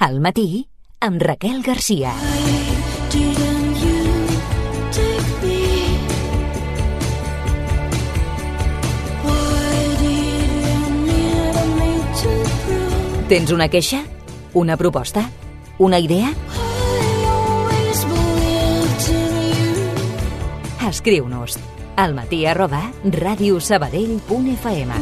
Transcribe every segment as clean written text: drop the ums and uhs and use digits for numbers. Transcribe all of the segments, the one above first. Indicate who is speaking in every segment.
Speaker 1: Al matí, amb Raquel Garcia. Tens una queixa? Una proposta? Una idea? Escriu-nos almatí@radiosabadell.fm.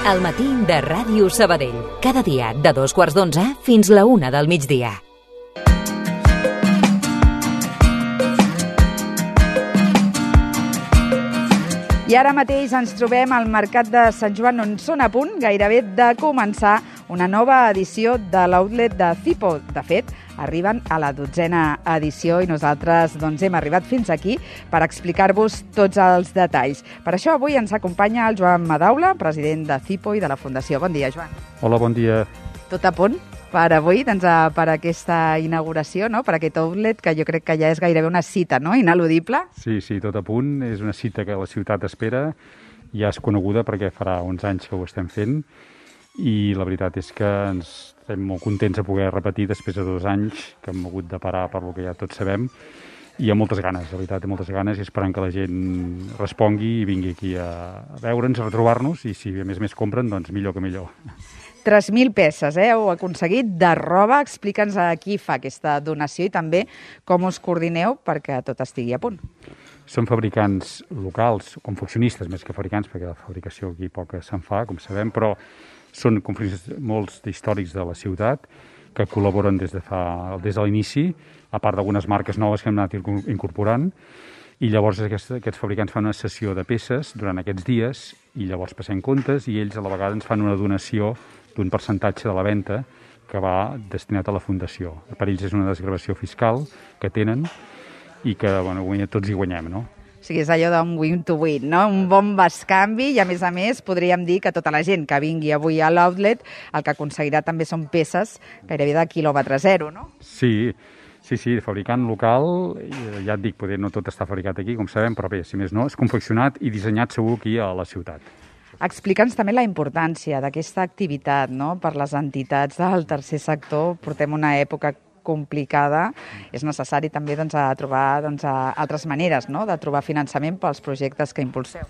Speaker 1: El matí de Ràdio Sabadell. Cada dia de 2:15 fins la 1 del migdia.
Speaker 2: I ara mateix ens trobem al Mercat de Sant Joan, on són a punt gairebé de començar una nova edició de l'outlet de Zipo. De fet, arriben a la 12a edició i nosaltres hem arribat fins aquí per explicar-vos tots els detalls. Per això avui ens acompanya el Joan Madaula, president de Zipo i de la Fundació. Bon dia, Joan.
Speaker 3: Hola, bon dia.
Speaker 2: Tot a punt per avui, per aquesta inauguració, no? Per aquest outlet, que jo crec que ja és gairebé una cita, no? Ineludible.
Speaker 3: Sí, tot a punt. És una cita que la ciutat espera. Ja és coneguda perquè farà uns anys que ho estem fent i la veritat és que ens estem molt contents de poder repetir després de 2 anys que hem hagut de parar per lo que ja tots sabem, i amb moltes ganes, la veritat, moltes ganes, i esperant que la gent respongui i vingui aquí a veure'ns, a retrobar-nos, i si a més compren, doncs millor que millor.
Speaker 2: 3.000 peces, heu aconseguit de roba. Explica'ns a qui fa aquesta donació i també com us coordineu perquè tot estigui a punt.
Speaker 3: Som fabricants locals, confeccionistes més que fabricants, perquè la fabricació aquí poca se'n fa, com sabem, però són confeccionistes molts històrics de la ciutat que col·laboren des de l'inici, a part d'algunes marques noves que hem anat incorporant, i llavors aquests fabricants fan una sessió de peces durant aquests dies i llavors passem comptes i ells a la vegada ens fan una donació d'un percentatge de la venda que va destinat a la Fundació. Per ells és una desgravació fiscal que tenen i que tots hi guanyem, no?
Speaker 2: O sigui, és allò d'un win-to-win, no? Un bon bescanvi i, a més, podríem dir que tota la gent que vingui avui a l'outlet el que aconseguirà també són peces gairebé de quilòmetre zero, no?
Speaker 3: Sí, fabricant local, ja et dic, poder no tot està fabricat aquí, com sabem, però bé, si més no, és confeccionat i dissenyat segur aquí a la ciutat.
Speaker 2: Explica'ns també la importància d'aquesta activitat, no? Per les entitats del tercer sector. Portem una època complicada. És necessari també trobar altres maneres, no? De trobar finançament pels projectes que impulseu.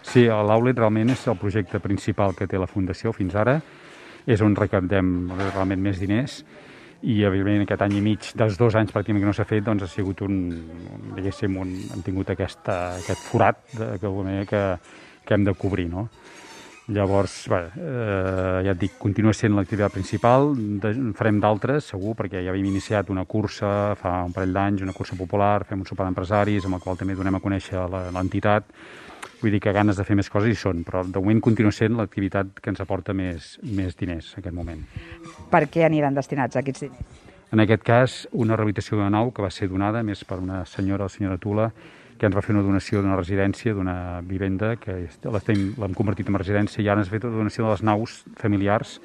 Speaker 3: Sí, l'outlet realment és el projecte principal que té la Fundació fins ara. És on recaptem realment més diners. I, evidentment, aquest any i mig, dels 2 anys pràcticament que no s'ha fet, doncs ha sigut hem tingut aquest forat que hem de cobrir, no? Llavors, ja et dic, continua sent l'activitat principal, farem d'altres, segur, perquè ja havíem iniciat una cursa fa un parell d'anys, una cursa popular, fem un sopar d'empresaris, amb el qual també donem a conèixer l'entitat. Vull dir que ganes de fer més coses hi són, però de moment continua sent l'activitat que ens aporta més diners en aquest moment. Per
Speaker 2: què aniran destinats aquests diners?
Speaker 3: En aquest cas, una rehabilitació d'una nau que va ser donada més per una senyora, la senyora Tula, que ens va fer una donació d'una residència, d'una vivenda, que l'hem convertit en residència, i ara ens ha fet una donació de les naus familiars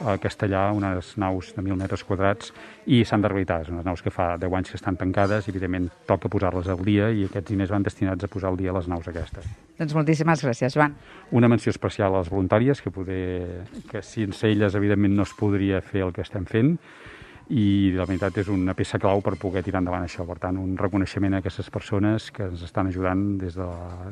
Speaker 3: a Castellà, unes naus de 1.000 metres quadrats, i s'han de rehabilitar. Són unes naus que fa 10 anys que estan tancades, i evidentment toca posar-les al dia, i aquests diners van destinats a posar al dia les naus aquestes.
Speaker 2: Doncs moltíssimes gràcies, Joan.
Speaker 3: Una menció especial a les voluntàries, que sense elles evidentment no es podria fer el que estem fent, i la veritat és una peça clau per poder tirar endavant això. Per tant, un reconeixement a aquestes persones que ens estan ajudant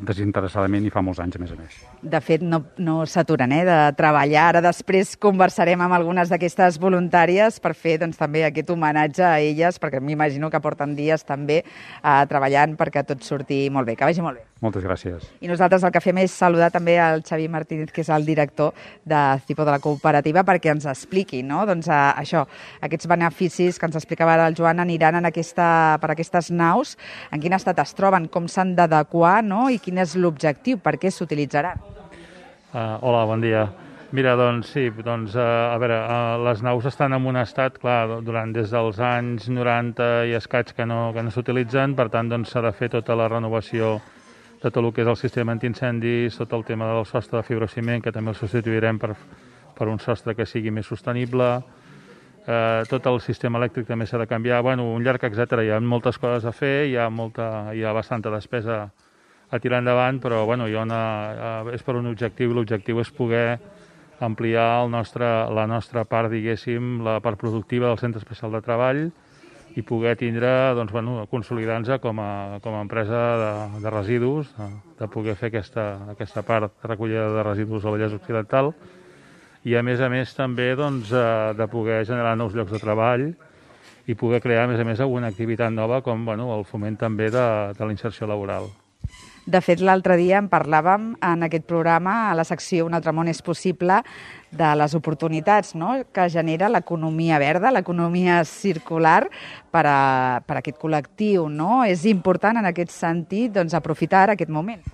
Speaker 3: desinteressadament i fa molts anys, a més.
Speaker 2: De fet, no s'aturen de treballar. Ara després conversarem amb algunes d'aquestes voluntàries per fer també aquest homenatge a elles, perquè m'imagino que porten dies també treballant perquè tot surti molt bé. Que vagi molt bé.
Speaker 3: Moltes gràcies.
Speaker 2: I nosaltres el que fem és saludar també al Xavi Martínez, que és el director de Zipo de la cooperativa, perquè ens expliqui, no? Això, aquests beneficis que ens explicava ara el Joan aniran per aquestes naus, en quin estat es troben, com s'han d'adequar, no? I quin és l'objectiu, per què s'utilitzaran?
Speaker 4: Hola, bon dia. Mira, a veure, les naus estan en un estat, clar, des dels anys 90 i escaig que no s'utilitzen, per tant, s'ha de fer tota la renovació de tot el que és el sistema antiincendis, tot el tema del sostre de fibrociment, que també el substituirem per un sostre que sigui més sostenible, tot el sistema elèctric també s'ha de canviar, un llarg etcètera. Hi ha moltes coses a fer, hi ha bastanta despesa tirar endavant, però bueno, és per un objectiu, i l'objectiu és poder ampliar la nostra part, diguéssim, la part productiva del Centre Especial de Treball i poder tindre, doncs, bueno, consolidar-nos com a empresa de residus, de poder fer aquesta part de recollida de residus al Vallès Occidental i, a més també, doncs, de poder generar nous llocs de treball i poder crear, a més, alguna activitat nova com, bueno, el foment també de la inserció laboral.
Speaker 2: De fet, l'altre dia en parlàvem en aquest programa, a la secció Un altre món és possible, de les oportunitats, no?, que genera l'economia verda, l'economia circular per a aquest col·lectiu, no? És important en aquest sentit, doncs, aprofitar aquest moment.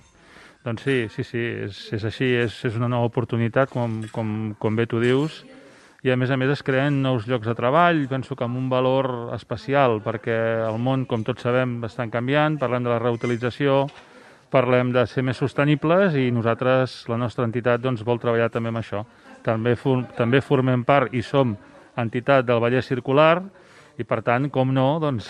Speaker 4: Doncs sí, és així, és una nova oportunitat, com bé tu dius, i a més es creen nous llocs de treball, penso que amb un valor especial, perquè el món, com tots sabem, està canviant, parlem de la reutilització, parlem de ser més sostenibles i nosaltres, la nostra entitat, doncs, vol treballar també amb això. També formem part i som entitat del Vallès Circular i, per tant, com no, doncs,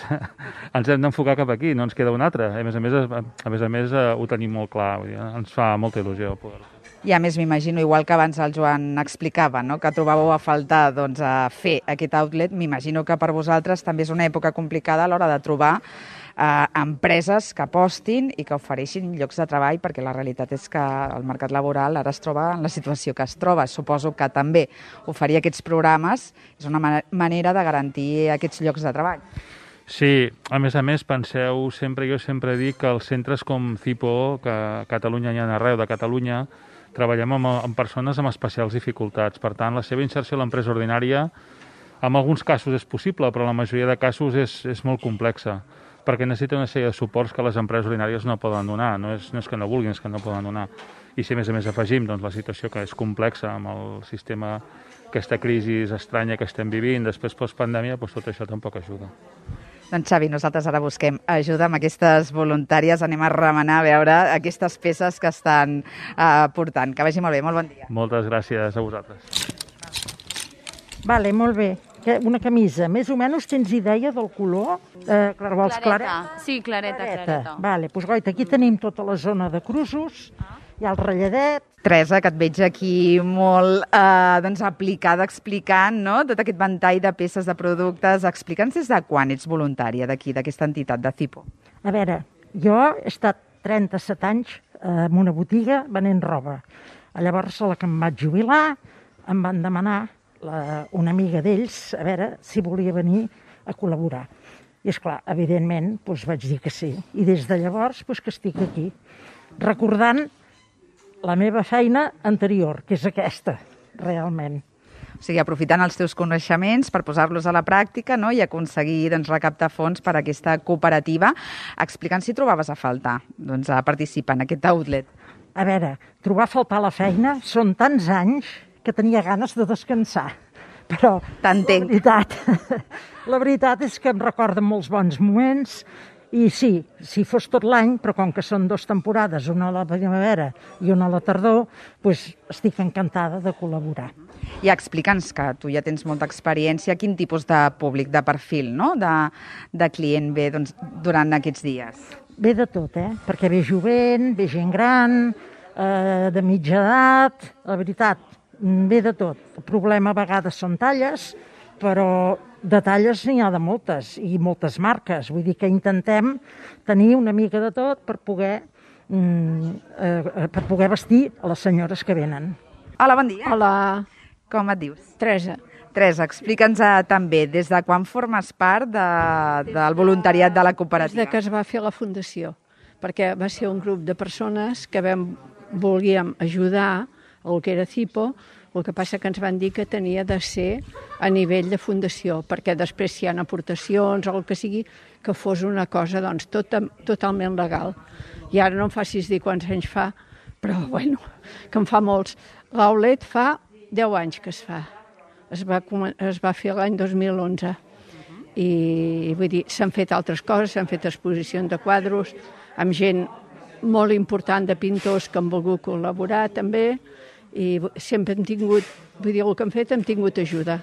Speaker 4: ens hem d'enfocar cap aquí, no ens queda un altre. A més, ho tenim molt clar, vull dir, ens fa molta il·lusió poder.
Speaker 2: I a més m'imagino, igual que abans el Joan explicava, no?, que trobàveu a faltar, doncs, a fer aquest outlet, m'imagino que per vosaltres també és una època complicada a l'hora de trobar empreses que apostin i que ofereixin llocs de treball, perquè la realitat és que el mercat laboral ara es troba en la situació que es troba. Suposo que també oferir aquests programes és una manera de garantir aquests llocs de treball.
Speaker 4: Sí, a més, penseu, jo sempre dic que els centres com CIPO, que a Catalunya hi ha arreu de Catalunya, treballem amb persones amb especials dificultats. Per tant, la seva inserció a l'empresa ordinària, en alguns casos és possible, però en la majoria de casos és molt complexa, perquè necessita una sèrie de suports que les empreses ordinàries no poden donar. No és que no vulguin, és que no poden donar. I si a més afegim, doncs, la situació que és complexa amb el sistema, aquesta crisi estranya que estem vivint, després postpandèmia, doncs tot això tampoc ajuda.
Speaker 2: Doncs Xavi, nosaltres ara busquem ajuda amb aquestes voluntàries, anem a remenar a veure aquestes peces que estan portant. Que vagi molt bé, molt bon dia.
Speaker 4: Moltes gràcies a vosaltres.
Speaker 5: Vale, molt bé. Una camisa, més o menys tens idea del color? Vols clareta?
Speaker 6: Sí, clareta.
Speaker 5: Vale, doncs goita, aquí tenim tota la zona de crusos, hi ha el ratlladet.
Speaker 2: Teresa, que et veig aquí molt aplicada, explicant, no?, tot aquest ventall de peces de productes. Explica'ns des de quan ets voluntària d'aquí, d'aquesta entitat de CIPO.
Speaker 5: A veure, jo he estat 37 anys en una botiga venent roba. Llavors, a la que em vaig jubilar, em van demanar una amiga d'ells, a veure si volia venir a col·laborar. I, esclar, evidentment, doncs vaig dir que sí. I des de llavors, doncs que estic aquí, recordant la meva feina anterior, que és aquesta, realment.
Speaker 2: O sigui, aprofitant els teus coneixements per posar-los a la pràctica, no?, i aconseguir, doncs, recaptar fons per a aquesta cooperativa. Explica'ns si trobaves a faltar, doncs, a participar en aquest outlet.
Speaker 5: A veure, trobar a faltar la feina són tants anys que tenia ganes de descansar. Però la veritat és que em recorden molts bons moments i sí, si fos tot l'any, però com que són 2 temporades, una a la primavera i una a la tardor, doncs estic encantada de col·laborar.
Speaker 2: I explica'ns, que tu ja tens molta experiència, quin tipus de públic, de perfil, no?, de client ve, doncs, durant aquests dies.
Speaker 5: Ve de tot, perquè ve jovent, ve gent gran, de mitja edat, la veritat, ve de tot. El problema a vegades són talles, però de talles n'hi ha de moltes, i moltes marques. Vull dir que intentem tenir una mica de tot per poder vestir a les senyores que venen.
Speaker 2: Hola, bon dia.
Speaker 6: Hola.
Speaker 2: Com et dius?
Speaker 6: Teresa.
Speaker 2: Teresa, explica'ns també, des de quan formes part del voluntariat de la cooperativa?
Speaker 6: Des que es va fer la fundació, perquè va ser un grup de persones que volíem ajudar el que era CIPO. El que passa que ens van dir que tenia de ser a nivell de fundació, perquè després si hi ha aportacions o el que sigui, que fos una cosa doncs, totalment legal. I ara no em facis dir quants anys fa, però bueno, que en fa molts. L'Aulet fa 10 anys que es fa. Es va fer l'any 2011. I vull dir, s'han fet altres coses, s'han fet exposicions de quadros, amb gent molt important de pintors que han volgut col·laborar també, i sempre hem tingut, vull dir, el que hem fet hem tingut ajuda,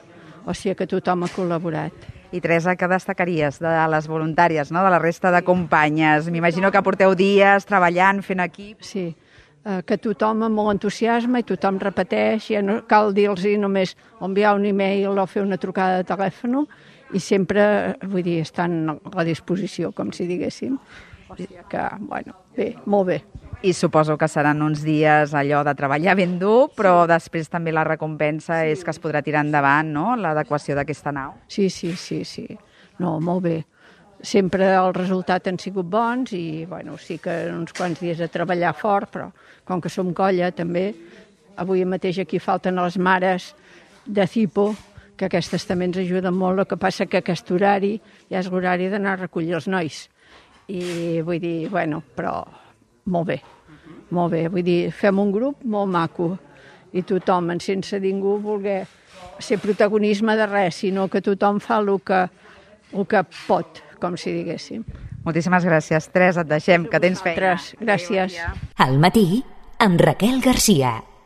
Speaker 6: o sigui que tothom ha col·laborat.
Speaker 2: I Teresa, què destacaries de les voluntàries, no? De la resta de companyes? M'imagino que porteu dies treballant, fent equip.
Speaker 6: Sí, que tothom amb molt entusiasme i tothom repeteix, ja no cal dir-los només enviar un e-mail o fer una trucada de telèfon, i sempre, vull dir, estan a la disposició, com si diguéssim. O sigui que, bueno, bé, molt bé.
Speaker 2: I suposo que seran uns dies allò de treballar ben dur, però després també la recompensa és que es podrà tirar endavant, no?, l'adequació d'aquesta nau.
Speaker 6: Sí. No, molt bé. Sempre els resultats han sigut bons i, bueno, sí que uns quants dies de treballar fort, però com que som colla també, avui mateix aquí falten les mares de CIPO, que aquestes també ens ajuden molt, el que passa que aquest horari ja és l'horari d'anar a recollir els nois. I vull dir, bueno, però molt bé, vull dir, fem un grup molt maco i tothom, sense ningú voler ser protagonisme de res, sinó que tothom fa el que pot, com si diguéssim.
Speaker 2: Moltíssimes gràcies, Teresa, et deixem, que tens feina.
Speaker 6: Gràcies.
Speaker 1: Al matí, amb Raquel Garcia.